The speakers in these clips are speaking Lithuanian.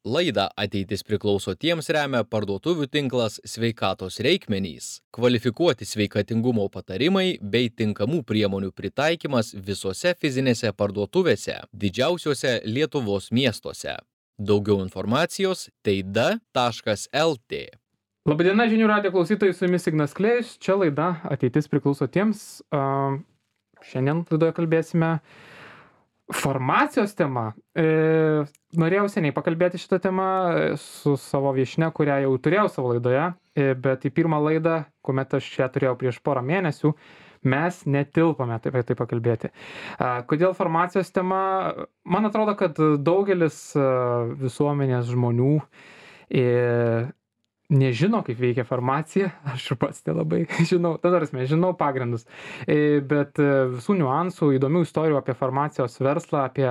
Laidą Ateitis priklauso tiems remia parduotuvių tinklas Sveikatos reikmenys, kvalifikuoti sveikatingumo patarimai bei tinkamų priemonių pritaikymas visose fizinėse parduotuvėse, didžiausiuose Lietuvos miestuose. Daugiau informacijos teida.lt. Labadiena, žinių radijo klausytojai, su jumis Ignas Klėjus. Čia laida Ateitis priklauso tiems. Šiandien laidoje kalbėsime farmacijos tema. Norėjau seniai pakalbėti šitą temą su savo viešnia, kurią jau turėjau savo laidoje, bet į pirmą laidą, kuomet aš ją turėjau prieš porą mėnesių, mes netilpome apie tai pakalbėti. Kodėl farmacijos tema? Man atrodo, kad daugelis visuomenės žmonių nežino, kaip veikia farmacija, aš ir pats nelabai žinau, žinau pagrindus, bet visų niuansų, įdomių istorijų apie farmacijos verslą, apie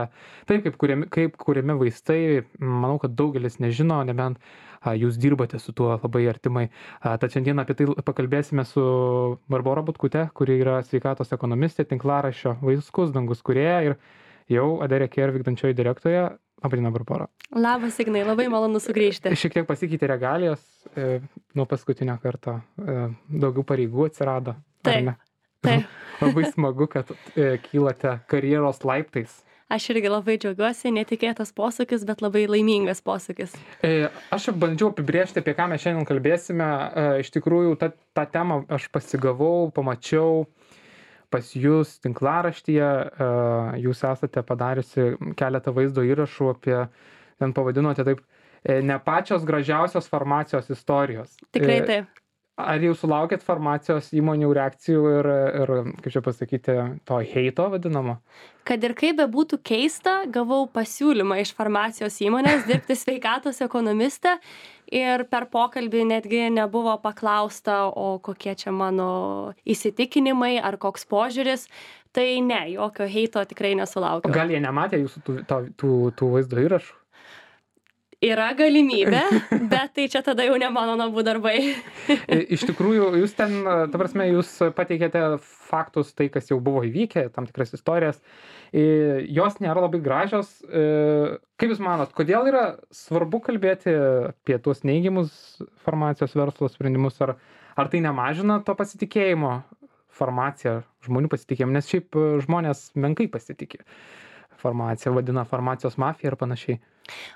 taip, kaip kuriami vaistai, manau, kad daugelis nežino, nebent jūs dirbate su tuo labai artimai. Tad šiandien apie tai pakalbėsime su Barbora Butkute, kuri yra sveikatos ekonomistė, tinklaraščio Vaiskus dangus kūrėja ir jau Adere Care vykdančioji direktorė. Labadiena, Barbora. Labas, Ignai, labai malonu sugrįžti. Šiek tiek pasikeitė regalijos nuo paskutinio karto, daugiau pareigų atsirado. Taip. Labai smagu, kad kylate karjeros laiptais. Aš irgi labai džiaugiuosi, netikėtas posūkis, bet labai laimingas posūkis. Aš bandžiau apibrėžti, apie ką mes šiandien kalbėsime. Iš tikrųjų, tą temą aš pasigavau, pamačiau pas jūs tinklaraštyje, jūs esate padariusi keletą vaizdo įrašų apie, ten pavadinote taip, ne pačios gražiausios farmacijos istorijos. Tikrai taip. Ar jau sulaukėt farmacijos įmonių reakcijų ir kaip čia pasakyti, to heito vadinamo? Kad ir kaip bebūtų keista, gavau pasiūlymą iš farmacijos įmonės dirbti sveikatos ekonomiste ir per pokalbį netgi nebuvo paklausta, o kokie čia mano įsitikinimai ar koks požiūris. Tai ne, jokio heito tikrai nesulaukiau. Gal jie nematė jūsų tų vaizdo įrašų? Yra galimybė, bet tai čia tada jau ne mano namų darbai. Iš tikrųjų, jūs ten, ta prasme, jūs pateikėte faktus, tai kas jau buvo įvykę, tam tikras istorijas. Jos nėra labai gražios. Kaip jūs manot, kodėl yra svarbu kalbėti apie tuos neigiamus farmacijos verslo sprendimus, ar tai nemažina to pasitikėjimo farmacija, žmonių pasitikėjimo, nes šiaip žmonės menkai pasitikė farmaciją, vadina farmacijos mafija ir panašiai.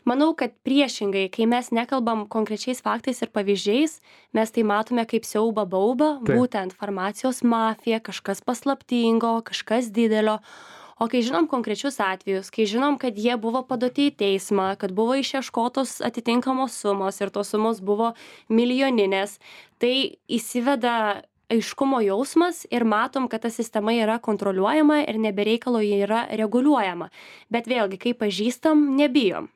Manau, kad priešingai, kai mes nekalbam konkrečiais faktais ir pavyzdžiais, mes tai matome kaip siaubą baubą, būtent farmacijos mafija, kažkas paslaptingo, kažkas didelio. O kai žinom konkrečius atvejus, kai žinom, kad jie buvo paduoti į teismą, kad buvo išieškotos atitinkamos sumos ir tos sumos buvo milijoninės, tai įsiveda aiškumo jausmas ir matom, kad ta sistema yra kontroliuojama ir nebereikalo ji yra reguliuojama. Bet vėlgi, kai pažįstam, nebijom.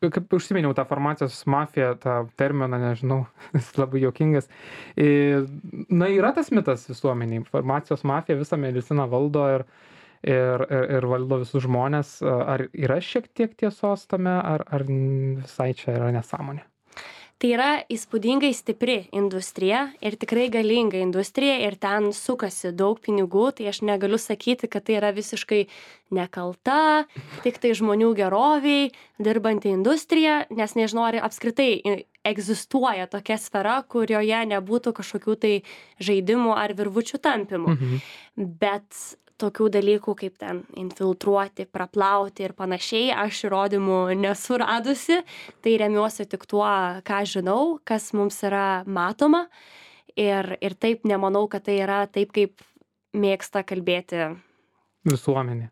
Kaip užsiminiau tą farmacijos mafiją, tą terminą, nežinau, jis labai juokingas. Na, yra tas mitas visuomeniai. Farmacijos mafija visą mediciną valdo ir valdo visus žmonės. Ar yra šiek tiek tiesos tame, ar visai čia yra nesąmonė? Tai yra įspūdingai stipri industrija ir tikrai galinga industrija ir ten sukasi daug pinigų, tai aš negaliu sakyti, kad tai yra visiškai nekalta, tik tai žmonių geroviai, dirbanti industrija, nes nežinau, ar apskritai egzistuoja tokia sfera, kurioje nebūtų kažkokių tai žaidimų ar virvučių tampymų. Bet tokių dalykų kaip ten infiltruoti, praplauti ir panašiai, aš įrodymų nesu radusi, tai remiuosi tik tuo, ką žinau, kas mums yra matoma ir taip nemanau, kad tai yra taip, kaip mėgsta kalbėti visuomenė.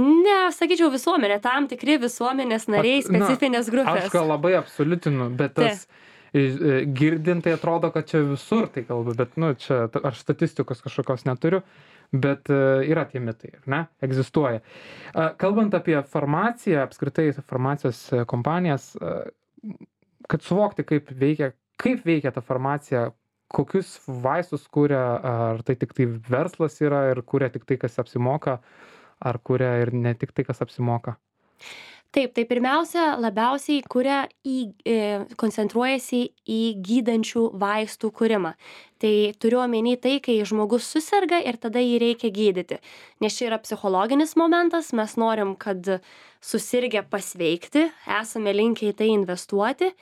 Ne, sakyčiau visuomenė, tam tikri visuomenės nariai, specifinės grupės. Aš gal labai absoliutinu, bet tas girdint tai atrodo, kad čia visur tai kalba, bet čia aš statistikos kažkokios neturiu. Bet yra tie mitai, ne? Egzistuoja. Kalbant apie farmaciją, apskritai farmacijos kompanijas, kad suvokti, kaip veikia ta farmacija, kokius vaistus kuria, ar tai tik tai verslas yra ir kuria tik tai, kas apsimoka, ar kuria ir ne tik tai, kas apsimoka. Taip, tai pirmiausia, labiausiai koncentruojasi į gydančių vaistų kūrimą. Tai turiu omeny tai, kai žmogus susirga ir tada jį reikia gydyti. Nes čia yra psichologinis momentas, mes norim, kad susirgę pasveikti, esame linkę į tai investuoti.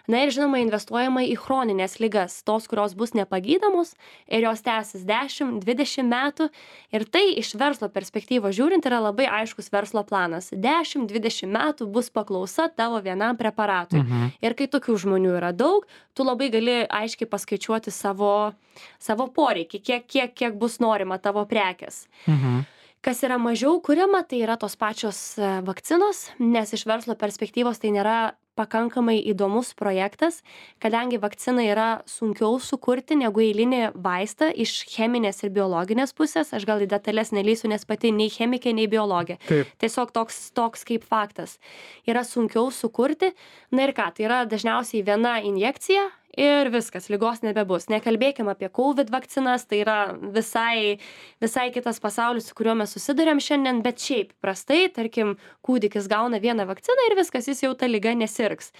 Na ir žinoma, investuojama į chroninės ligas, tos, kurios bus nepagydomos ir jos tęsis 10-20 metų. Ir tai iš verslo perspektyvos žiūrint yra labai aiškus verslo planas. 10-20 metų bus paklausa tavo vienam preparatui. Ir kai tokių žmonių yra daug, tu labai gali aiškiai paskaičiuoti savo poreikį, kiek bus norima tavo prekės. Kas yra mažiau kuriama, tai yra tos pačios vakcinos, nes iš verslo perspektyvos tai nėra pakankamai įdomus projektas, kadangi vakciną yra sunkiau sukurti negu eilinį vaistą iš cheminės ir biologinės pusės. Aš gal į detalės nelysiu, nes pati nei chemikė, nei biologė. Taip. Tiesiog toks kaip faktas. Yra sunkiau sukurti. Na ir ką, tai yra dažniausiai viena injekcija ir viskas, ligos nebebus. Nekalbėkim apie COVID vakcinas, tai yra visai kitas pasaulis, su kuriuo mes susiduriam šiandien, bet šiaip prastai, tarkim, kūdikis gauna vieną vakciną ir viskas, jis jau ta liga nesirgs.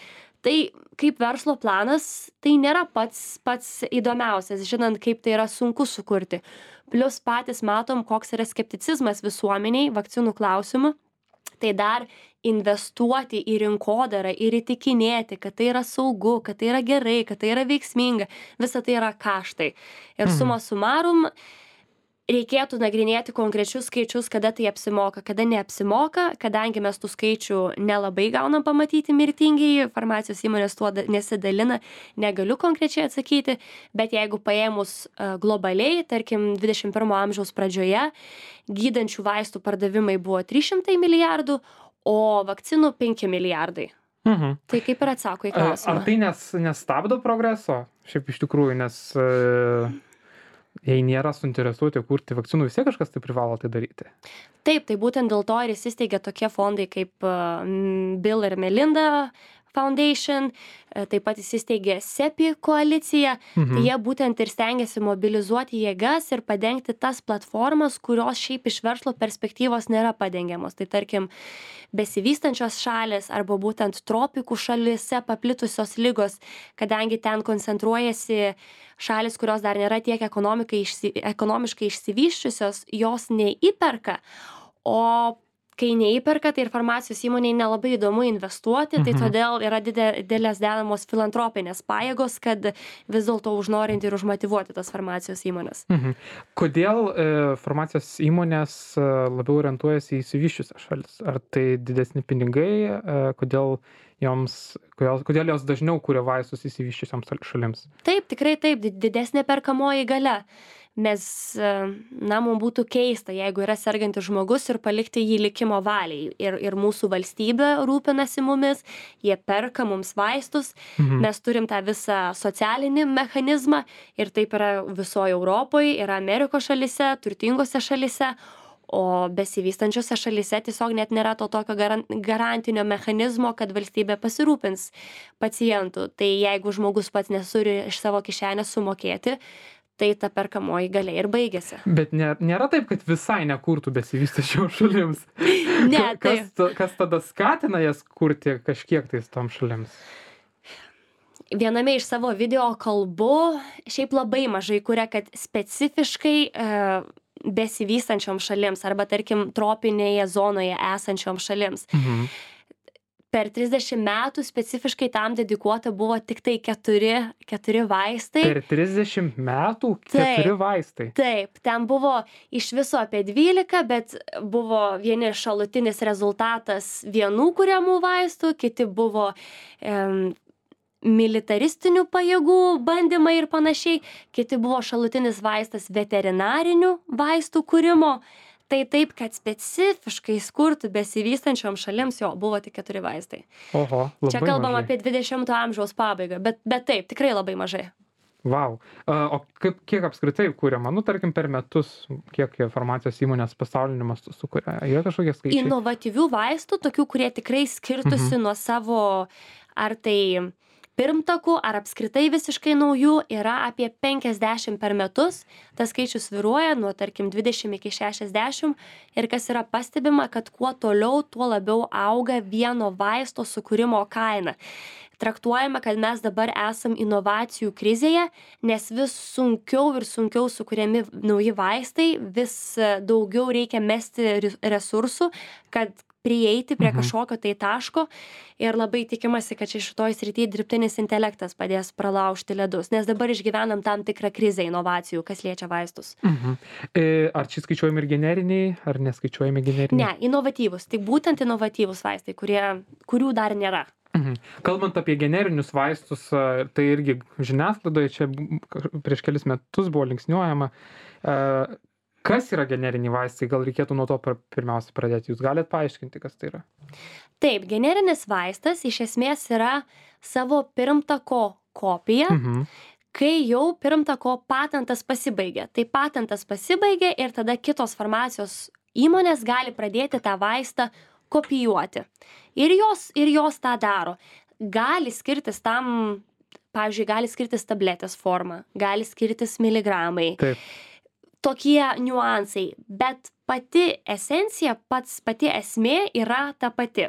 Tai kaip verslo planas, tai nėra pats įdomiausias, žinant, kaip tai yra sunku sukurti. Plius patys matom, koks yra skepticizmas visuomeniai vakcinų klausimu. Tai dar investuoti į rinkodarą ir įtikinėti, kad tai yra saugu, kad tai yra gerai, kad tai yra veiksminga, visa tai yra kaštai. Ir suma sumarum, reikėtų nagrinėti konkrečius skaičius, kada tai apsimoka, kada neapsimoka, kadangi mes tų skaičių nelabai gaunam pamatyti mirtingiai, farmacijos įmonės tuo nesidalina, negaliu konkrečiai atsakyti, bet jeigu paėmus globaliai, tarkim 21 amžiaus pradžioje, gydančių vaistų pardavimai buvo 300 milijardų, o vakcinų 5 milijardai. Tai kaip ir atsako į klausimą. Ar tai nestabdo progreso? Šiaip iš tikrųjų, nes jei nėra suinteresuoti kurti vakcinų, vis tiek kažkas tai privalo tai daryti. Taip, tai būtent dėl to ir įsisteigia tokie fondai kaip Bill ir Melinda Foundation, taip pat įsisteigė CEPI koalicija, tai jie būtent ir stengiasi mobilizuoti jėgas ir padengti tas platformas, kurios šiaip iš verslo perspektyvos nėra padengiamos. Tai tarkim, besivystančios šalys arba būtent tropikų šalyse paplitusios ligos, kadangi ten koncentruojasi šalis, kurios dar nėra tiek ekonomiškai išsivysčiusios, jos neįperka, o kai neįperka, tai ir farmacijos įmonei nelabai įdomu investuoti, tai todėl yra didelės dedamos filantropinės pajėgos, kad vis dėlto užnorinti ir užmotyvuoti tas farmacijos įmonės. Kodėl farmacijos įmonės labiau orientuojasi į išsivysčiusias šalis? Ar tai didesni pinigai? Kodėl jos dažniau kuria vaistus išsivysčiusioms šalims? Taip, tikrai taip, didesnė perkamoji galia. Nes, mums būtų keista, jeigu yra sergantis žmogus ir palikti jį likimo valiai. Ir mūsų valstybė rūpinasi mumis, jie perka mums vaistus, mes turim tą visą socialinį mechanizmą ir taip yra visoje Europoje, yra Amerikos šalyse, turtingose šalyse, o besivystančiose šalyse tiesiog net nėra to tokio garantinio mechanizmo, kad valstybė pasirūpins pacientų. Tai jeigu žmogus pats nesuri iš savo kišenės sumokėti, tai ta perkamoji galia ir baigėsi. Bet nėra taip, kad visai nekurtų besivystančiom šalims. Ne, kas tada skatina jas kurti kažkiek tais tom šalims? Viename iš savo video kalbų šiaip labai mažai kuria, kad specifiškai besivystančiom šalims arba tarkim tropinėje zonoje esančiom šalims. Per 30 metų specifiškai tam dedikuota buvo tik tai 4 vaistai. Per 30 metų 4 vaistai? Taip, ten buvo iš viso apie 12, bet buvo vieni šalutinis rezultatas vienų kuriamų vaistų, kiti buvo militaristinių pajėgų bandymai ir panašiai, kiti buvo šalutinis vaistas veterinarinių vaistų kūrimo. Tai taip, kad specifiškai skurtų besivystančiom šalims buvo tik 4 vaistai. Oho, labai Čia kalbam mažai. apie 20 amžiaus pabaigą, bet taip, tikrai labai mažai. Vau. O kiek apskritai kūriama? Tarkim, per metus, kiek farmacijos įmonės pasauliniu mastu sukuria? Yra kažkokie skaičiai? Inovatyvių vaistų, tokių, kurie tikrai skirtusi nuo savo, ar tai pirmtakų, ar apskritai visiškai naujų, yra apie 50 per metus. Tas skaičius svyruoja nuo, tarkim, 20 iki 60. Ir kas yra pastebima, kad kuo toliau, tuo labiau auga vieno vaisto sukūrimo kaina. traktuojame, kad mes dabar esam inovacijų krizėje, nes vis sunkiau ir sunkiau sukuriami nauji vaistai, vis daugiau reikia mesti resursų, kad prieiti prie kažkokio tai taško ir labai tikimasi, kad šitoj srityje dirbtinis intelektas padės pralaužti ledus, nes dabar išgyvenam tam tikrą krizę inovacijų, kas liečia vaistus. Ar čia skaičiuojami ir generiniai, ar neskaičiuojami generiniai? Ne, inovatyvus, tai būtent inovatyvus vaistai, kurių dar nėra. Kalbant apie generinius vaistus, tai irgi žiniasklaidoje čia prieš kelis metus buvo linksniuojama. Kas yra generiniai vaistai? Gal reikėtų nuo to pirmiausia pradėti. Jūs galite paaiškinti, kas tai yra? Taip, generinis vaistas iš esmės yra savo pirmtako kopija, kai jau pirmtako patentas pasibaigia. Tai patentas pasibaigia ir tada kitos farmacijos įmonės gali pradėti tą vaistą kopijuoti. Ir jos tą daro. Gali skirtis tam, pavyzdžiui, gali skirtis tabletės forma, gali skirtis miligramai. Taip. Tokie niuansai, bet pati esencija, pati esmė yra ta pati.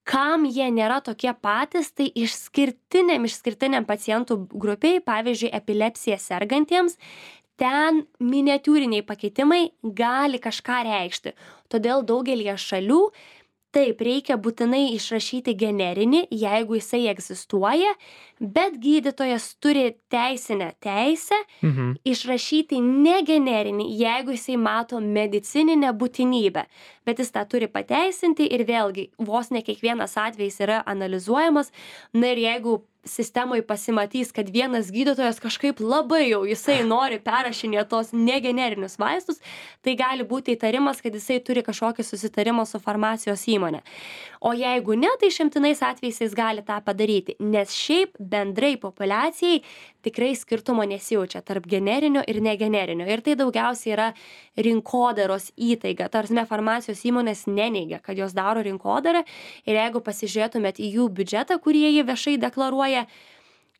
Kam jie nėra tokie patys, tai išskirtiniam pacientų grupiai, pavyzdžiui, epilepsija sergantiems, ten miniatiūriniai pakeitimai gali kažką reikšti. Todėl daugelį šalių taip reikia būtinai išrašyti generinį, jeigu jisai egzistuoja, bet gydytojas turi teisinę teisę išrašyti negenerinį, jeigu jisai mato medicininę būtinybę. Bet jis tą turi pateisinti ir vėlgi vos ne kiekvienas atvejis yra analizuojamas. Na ir jeigu sistemoje pasimatys, kad vienas gydytojas kažkaip labai jau jisai nori perrašinėti tos negenerinius vaistus, tai gali būti įtarimas, kad jisai turi kažkokį susitarimą su farmacijos įmonė. O jeigu ne, tai išimtinais atvejais jis gali tą padaryti, nes šiaip bendrai populiacijai tikrai skirtumo nesijaučia tarp generinio ir negenerinio. Ir tai daugiausiai yra rinkodaros įtaiga. Tarsi farmacijos įmonės neneigia, kad jos daro rinkodarą. Ir jeigu pasižiūrėtumėt į jų biudžetą, kurį jie viešai deklaruoja,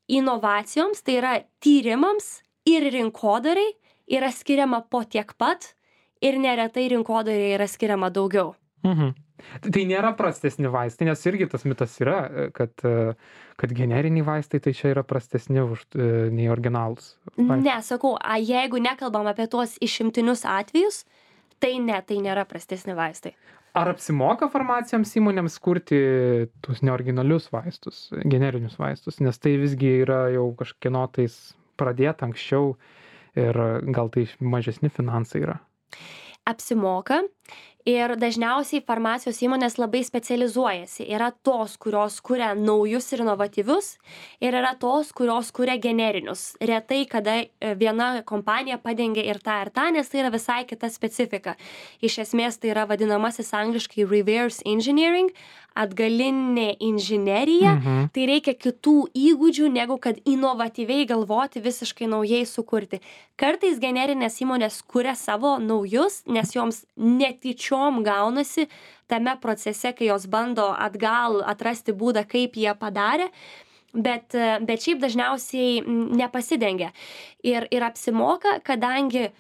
inovacijoms, tai yra tyrimams ir rinkodarai yra skiriama po tiek pat ir neretai rinkodarai yra skiriama daugiau. Tai nėra prastesni vaistai, nes irgi tas mitas yra, kad generiniai vaistai tai čia yra prastesni nei originalūs vaistai. Ne, sakau, jeigu nekalbam apie tuos išimtinius atvejus, tai nėra prastesni vaistai. Ar apsimoka farmacijoms įmonėms kurti tuos neoriginalius vaistus, generinius vaistus, nes tai visgi yra jau kažkieno tais pradėta anksčiau ir gal tai mažesni finansai yra? Apsimoka. Ir dažniausiai farmacijos įmonės labai specializuojasi. Yra tos, kurios kuria naujus ir inovatyvius, ir yra tos, kurios kuria generinius. Retai, kada viena kompanija padengia ir tą, nes tai yra visai kita specifika. Iš esmės tai yra vadinamasis angliškai reverse engineering, atgalinė inžinerija. Tai reikia kitų įgūdžių, negu kad inovatyviai galvoti, visiškai naujai sukurti. Kartais generinės įmonės kuria savo naujus, nes joms netyčiom gaunasi tame procese, kai jos bando atgal atrasti būdą, kaip jie padarė, bet šiaip dažniausiai nepasidengia. Ir apsimoka, kadangi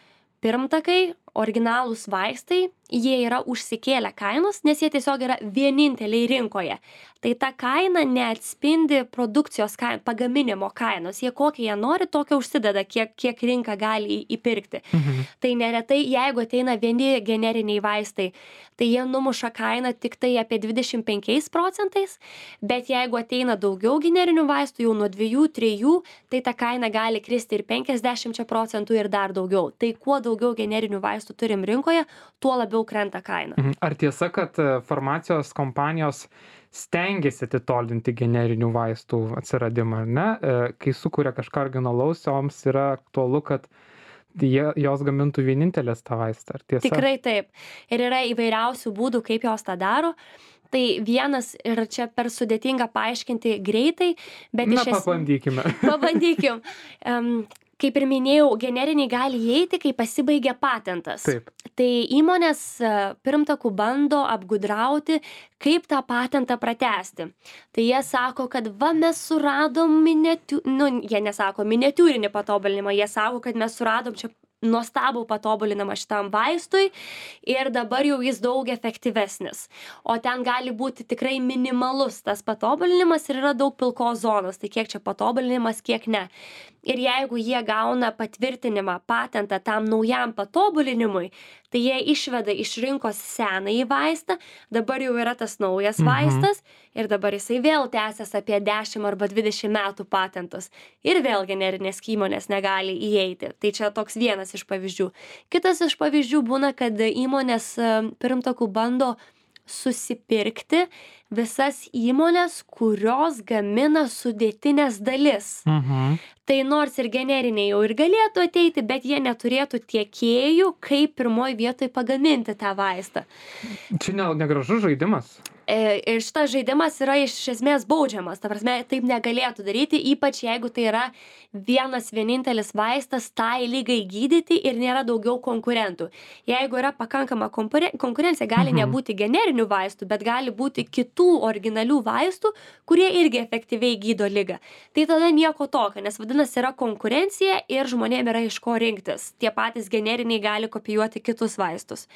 pirmtakai, originalūs vaistai, jie yra užsikėlę kainos, nes jie tiesiog yra vieninteliai rinkoje. Tai ta kaina neatspindi produkcijos pagaminimo kainos. Jie kokią jie nori, tokią užsideda, kiek rinka gali įpirkti. Tai neretai, jeigu ateina vieni generiniai vaistai, tai jie numuša kainą tik tai apie 25%, bet jeigu ateina daugiau generinių vaistų, jau nuo 2-3, tai ta kaina gali kristi ir 50% ir dar daugiau. Tai kuo daugiau generinių vaistų turim rinkoje, tuo labiau krenta kaina. Ar tiesa, kad farmacijos kompanijos stengiasi atitolinti generinių vaistų atsiradimą, ar ne? Kai sukuria kažką originalaus, joms yra aktualu, kad jos gamintų vienintelės tą vaistą, ar tiesa? Tikrai taip. Ir yra įvairiausių būdų, kaip jos tą daro. Tai vienas, ir čia per sudėtinga paaiškinti greitai, bet pabandykime. Pabandykim. Kaip ir minėjau, generiniai gali įeiti, kai pasibaigia patentas. Taip. Tai įmonės pirmtakų bando apgudrauti, kaip tą patentą pratęsti. Tai jie sako, kad mes suradom jie nesako miniatiūrinį patobulinimą, jie sako, kad mes suradom čia nuostabų patobulinimą šitam vaistui ir dabar jau jis daug efektyvesnis. O ten gali būti tikrai minimalus tas patobulinimas ir yra daug pilkos zonos, tai kiek čia patobulinimas, kiek ne. Ir jeigu jie gauna patvirtinimą, patentą tam naujam patobulinimui, tai jie išveda iš rinkos senąjį vaistą, dabar jau yra tas naujas vaistas ir dabar jisai vėl tęsias apie 10 arba 20 metų patentus. Ir vėl generinės įmonės negali įeiti. Tai čia toks vienas iš pavyzdžių. Kitas iš pavyzdžių būna, kad įmonės pirmtakų bando susipirkti visas įmonės, kurios gamina sudėtinės dalis. Tai nors ir generiniai jau ir galėtų ateiti, bet jie neturėtų tiekėjų, kaip pirmoj vietoj pagaminti tą vaistą. Čia negražus žaidimas. Ir šitas žaidimas yra iš esmės baudžiamas. Ta prasme, taip negalėtų daryti, ypač jeigu tai yra vienas vienintelis vaistas tai ligai gydyti ir nėra daugiau konkurentų. Jeigu yra pakankama konkurencija, gali nebūti generinių vaistų, bet gali būti kitų originalių vaistų, kurie irgi efektyviai gydo ligą. Tai tada nieko tokio, nes vadinasi yra konkurencija ir žmonėm yra iš ko rinktis. Tie patys generiniai gali kopijuoti kitus vaistus.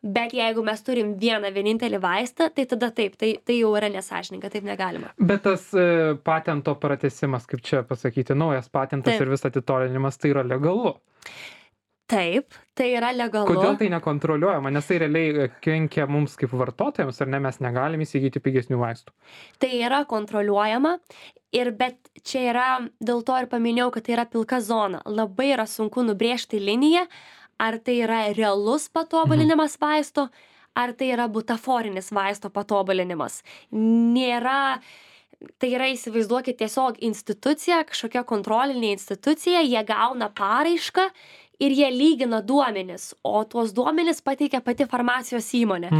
Bet jeigu mes turim vieną vienintelį vaistą, tai tada taip, tai jau yra nesąžininga, taip negalima. Bet tas patento pratęsimas, kaip čia pasakyti, naujas patentas ir vis atitolinimas, tai yra legalu. Taip, tai yra legalu. Kodėl tai nekontroliuojama, nes tai realiai kenkia mums kaip vartotojams, ar ne, mes negalim įsigyti pigesnių vaistų? Tai yra kontroliuojama, bet čia yra, dėl to ir paminėjau, kad tai yra pilka zona. Labai yra sunku nubrėžti liniją, ar tai yra realus patobulinimas vaisto, ar tai yra butaforinis vaisto patobulinimas. Nėra, tai yra, įsivaizduokit, tiesiog institucija, kažkokia kontrolinė institucija, jie gauna paraišką ir jie lygina duomenis, o tuos duomenis pateikia pati farmacijos įmonė.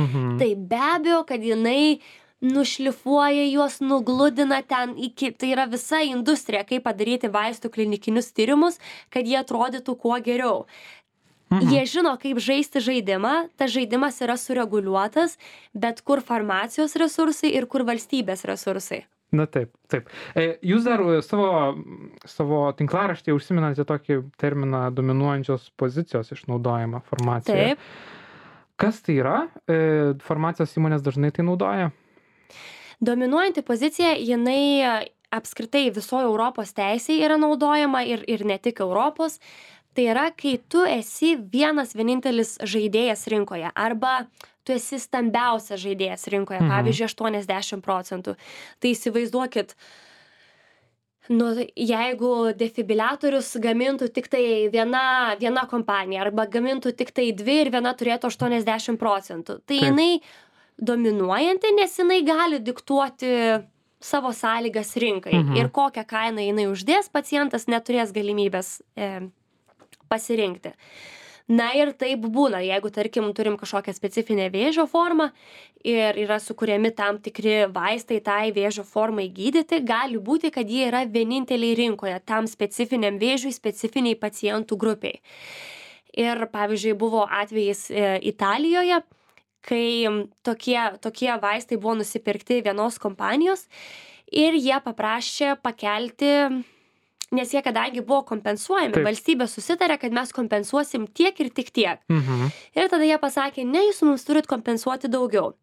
Tai be abejo, kad jinai nušlifuoja juos, nugludina ten tai yra visa industrija, kaip padaryti vaistų klinikinius tyrimus, kad jie atrodytų kuo geriau. Jie žino, kaip žaisti žaidimą, tas žaidimas yra sureguliuotas, bet kur farmacijos resursai ir kur valstybės resursai. Na taip. Jūs dar savo tinklaraštyje užsiminate tokį terminą dominuojančios pozicijos išnaudojimą farmacijoje. Taip. Kas tai yra? Farmacijos įmonės dažnai tai naudoja? Dominuojanti pozicija, jinai apskritai visoje Europos teisėje yra naudojama ir ne tik Europos. Tai yra, kai tu esi vienas vienintelis žaidėjas rinkoje arba tu esi stambiausias žaidėjas rinkoje, pavyzdžiui, 80%. Tai įsivaizduokit, jeigu defibriliatorius gamintų tik tai viena kompanija arba gamintų tik tai dvi ir viena turėtų 80%. Tai jinai dominuojanti, nes jinai gali diktuoti savo sąlygas rinkai ir kokią kainą jinai uždės, pacientas neturės galimybės pasirinkti. Na ir taip būna, jeigu, tarkim, turim kažkokią specifinę vėžio formą ir yra sukuriami tam tikri vaistai tai vėžio formai gydyti, gali būti, kad jie yra vieninteliai rinkoje tam specifiniam vėžiui, specifiniai pacientų grupiai. Ir, pavyzdžiui, buvo atvejis Italijoje, kai tokie vaistai buvo nusipirkti vienos kompanijos ir jie paprašė pakelti, nes jie kadangi buvo kompensuojami, valstybė susitarė, kad mes kompensuosim tiek ir tik tiek. Ir tada jie pasakė, ne, jūs mums turit kompensuoti daugiau.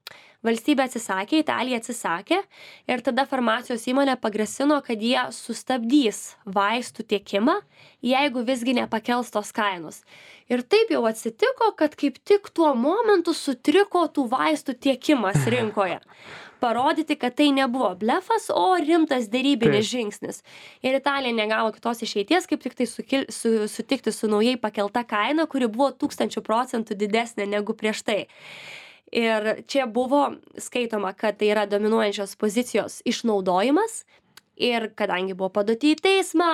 Valstybė atsisakė, Italija atsisakė ir tada farmacijos įmonė pagrasino, kad jie sustabdys vaistų tiekimą, jeigu visgi nepakels tos kainos. Ir taip jau atsitiko, kad kaip tik tuo momentu sutriko tų vaistų tiekimas rinkoje. Parodyti, kad tai nebuvo blefas, o rimtas derybinis žingsnis. Ir Italija negavo kitos išeities, kaip tik tai sutikti su naujai pakelta kaina, kuri buvo 1000% didesnė negu prieš tai. Ir čia buvo skaitoma, kad tai yra dominuojančios pozicijos išnaudojimas. Ir kadangi buvo paduoti į teismą,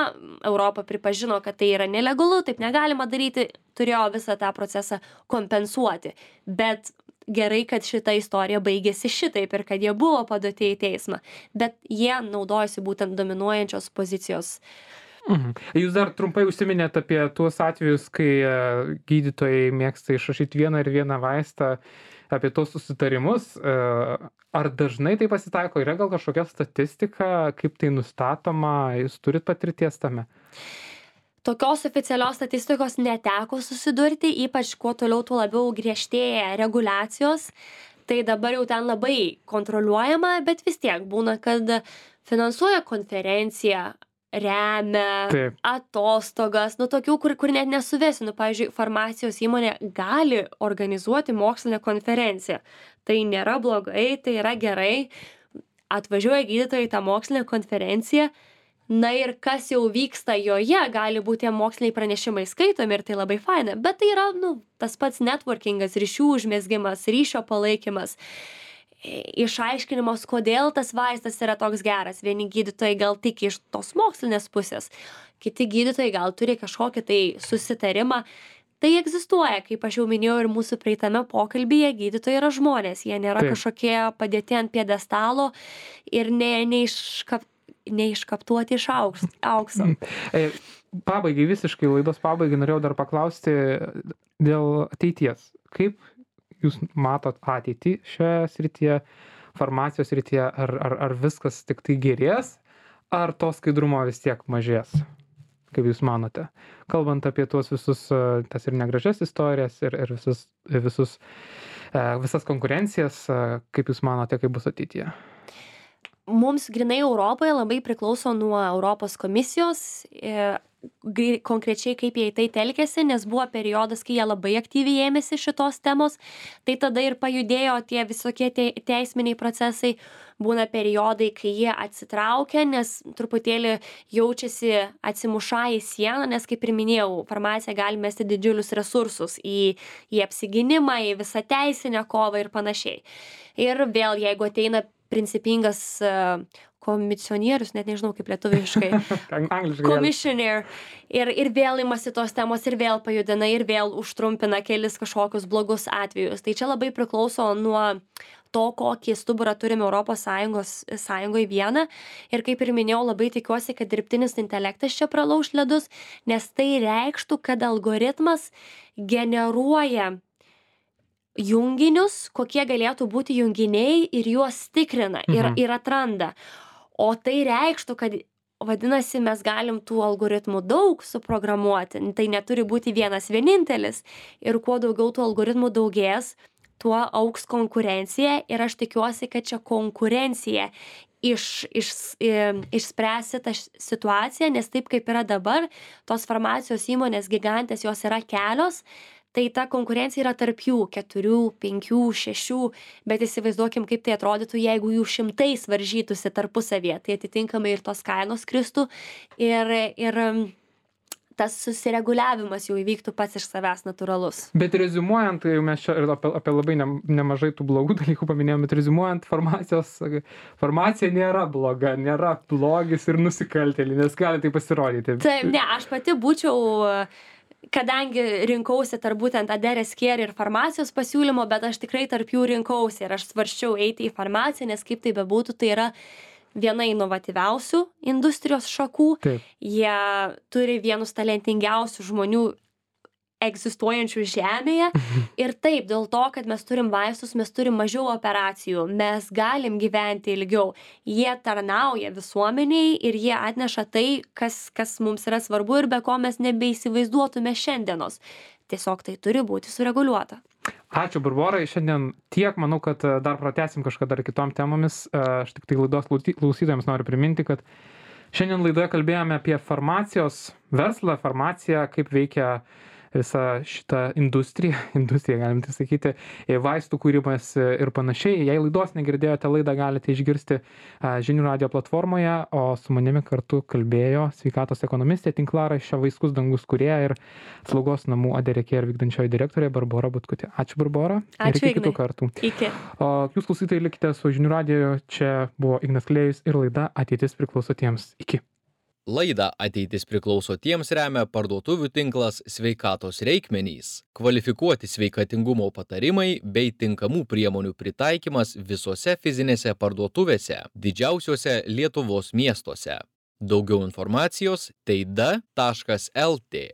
Europa pripažino, kad tai yra nelegalu, taip negalima daryti, turėjo visą tą procesą kompensuoti. Bet gerai, kad šita istorija baigėsi šitaip ir kad jie buvo paduoti į teismą. Bet jie naudojasi būtent dominuojančios pozicijos. Jūs dar trumpai užsiminėt apie tuos atvejus, kai gydytojai mėgsta išrašyti vieną ir vieną vaistą, apie tos susitarimus. Ar dažnai tai pasitaiko? Yra gal kažkokia statistika, kaip tai nustatoma? Jūs turit patirties tame? tokios oficialios statistikos neteko susidurti, ypač kuo toliau, tuo labiau griežtėja reguliacijos. Tai dabar jau ten labai kontroliuojama, bet vis tiek būna, kad finansuoja konferenciją, remia Taip. atostogas, tokių, kur net nesuvesi. Pavyzdžiui, farmacijos įmonė gali organizuoti mokslinę konferenciją. Tai nėra blogai, tai yra gerai. Atvažiuoja gydytojai į tą mokslinę konferenciją, ir kas jau vyksta joje, gali būti tie moksliniai pranešimai skaitomi ir tai labai faina. Bet tai yra, tas pats networkingas, ryšių užmezgimas, ryšio palaikymas, išaiškinimas, kodėl tas vaistas yra toks geras. Vieni gydytojai gal tik iš tos mokslinės pusės, kiti gydytojai gal turi kažkokį tai susitarimą. Tai egzistuoja, kaip aš jau minėjau ir mūsų praeitame pokalbyje, gydytojai yra žmonės, jie nėra kažkokie padėti ant piedestalo ir neiškaptuoti iš aukso. Pabaigai, visiškai laidos pabaigai norėjau dar paklausti dėl ateities. Kaip jūs matot ateitį šioje srityje, farmacijos srityje, ar viskas tik tai gerės, ar to skaidrumo vis tiek mažės? Kaip jūs manote? Kalbant apie tuos visus, tas ir negražias istorijas, ir visas konkurencijas, kaip jūs manote, kaip bus ateityje? Mums grinai Europoje labai priklauso nuo Europos komisijos, konkrečiai kaip jie į tai telkėsi, nes buvo periodas, kai jie labai aktyviai ėmėsi šitos temos, tai tada ir pajudėjo tie visokie teisminiai procesai. Būna periodai, kai jie atsitraukia, nes truputėlį jaučiasi atsimušą į sieną, nes kaip ir minėjau, farmacija gali mesti didžiulius resursus į apsigynimą, į visą teisinę kovą ir panašiai. Ir vėl, jeigu ateina principingas komisionierius, net nežinau kaip lietuviškai, commissioner, ir vėl imasi tos temos, ir vėl pajudina, ir vėl užtrumpina kelis kažkokius blogus atvejus. Tai čia labai priklauso nuo to, kokį stuburą turime Europos Sąjungoje vieną. Ir kaip ir minėjau, labai tikiuosi, kad dirbtinis intelektas čia pralauš ledus, nes tai reikštų, kad algoritmas generuoja junginius, kokie galėtų būti junginiai ir juos tikrina ir atranda. O tai reikštų, kad vadinasi, mes galim tų algoritmų daug suprogramuoti. Tai neturi būti vienas vienintelis. Ir kuo daugiau tų algoritmų daugės, tuo augs konkurencija. Ir aš tikiuosi, kad čia konkurencija išspręsi tą situaciją, nes taip kaip yra dabar, tos farmacijos įmonės gigantės, jos yra kelios. Tai ta konkurencija yra tarp jų 4, 5, 6, bet įsivaizduokim, kaip tai atrodytų, jeigu jų šimtais varžytųsi tarpusavėje, tai atitinkamai ir tos kainos kristų ir tas susireguliavimas jau įvyktų pats iš savęs natūralus. Bet reziumuojant, tai mes čia ir apie labai nemažai tų blogų dalykų paminėjome, bet reziumuojant, farmacija nėra bloga, nėra blogis ir nusikaltėlį, nes gali tai pasirodyti. Taip, ne, aš pati būčiau, kadangi rinkausi tarp būtent Aderes Care ir farmacijos pasiūlymo, bet aš tikrai tarp jų rinkausi ir aš svarsčiau eiti į farmaciją, nes kaip tai bebūtų, tai yra viena inovatyviausių industrijos šakų. Taip. Jie turi vienus talentingiausių žmonių egzistuojančių žemėje. Ir taip, dėl to, kad mes turim vaistus, mes turim mažiau operacijų, mes galim gyventi ilgiau. Jie tarnauja visuomeniai ir jie atneša tai, kas mums yra svarbu ir be ko mes nebeįsivaizduotume šiandienos. Tiesiog tai turi būti sureguliuota. Ačiū, Barborai. Šiandien tiek, manau, kad dar pratęsim kažkada dar kitom temomis. Aš tik tai laidos klausytojams noriu priminti, kad šiandien laidoje kalbėjome apie farmacijos verslą, farmaciją, kaip veikia visą šitą industriją, galim tai sakyti, vaistų kūrimas ir panašiai. Jei laidos negirdėjote, laidą galite išgirsti Žinių radijo platformoje, o su manimi kartu kalbėjo sveikatos ekonomistė, tinklaraščio Vaiskus dangus kūrėja ir slaugos namų Aderes Care vykdančioji direktorė Barbora Butkutė. Ačiū, Barbora. Ačiū, ir iki kitų kartų. Iki. O jūs klausytojai likite su Žinių radijo. Čia buvo Ignas Klėjus ir laida Ateitis priklauso tiems. Iki. Laidą Ateitis priklauso tiems remia parduotuvių tinklas Sveikatos reikmenys, kvalifikuoti sveikatingumo patarimai bei tinkamų priemonių pritaikymas visose fizinėse parduotuvėse, didžiausiuose Lietuvos miestuose. Daugiau informacijos teida.lt.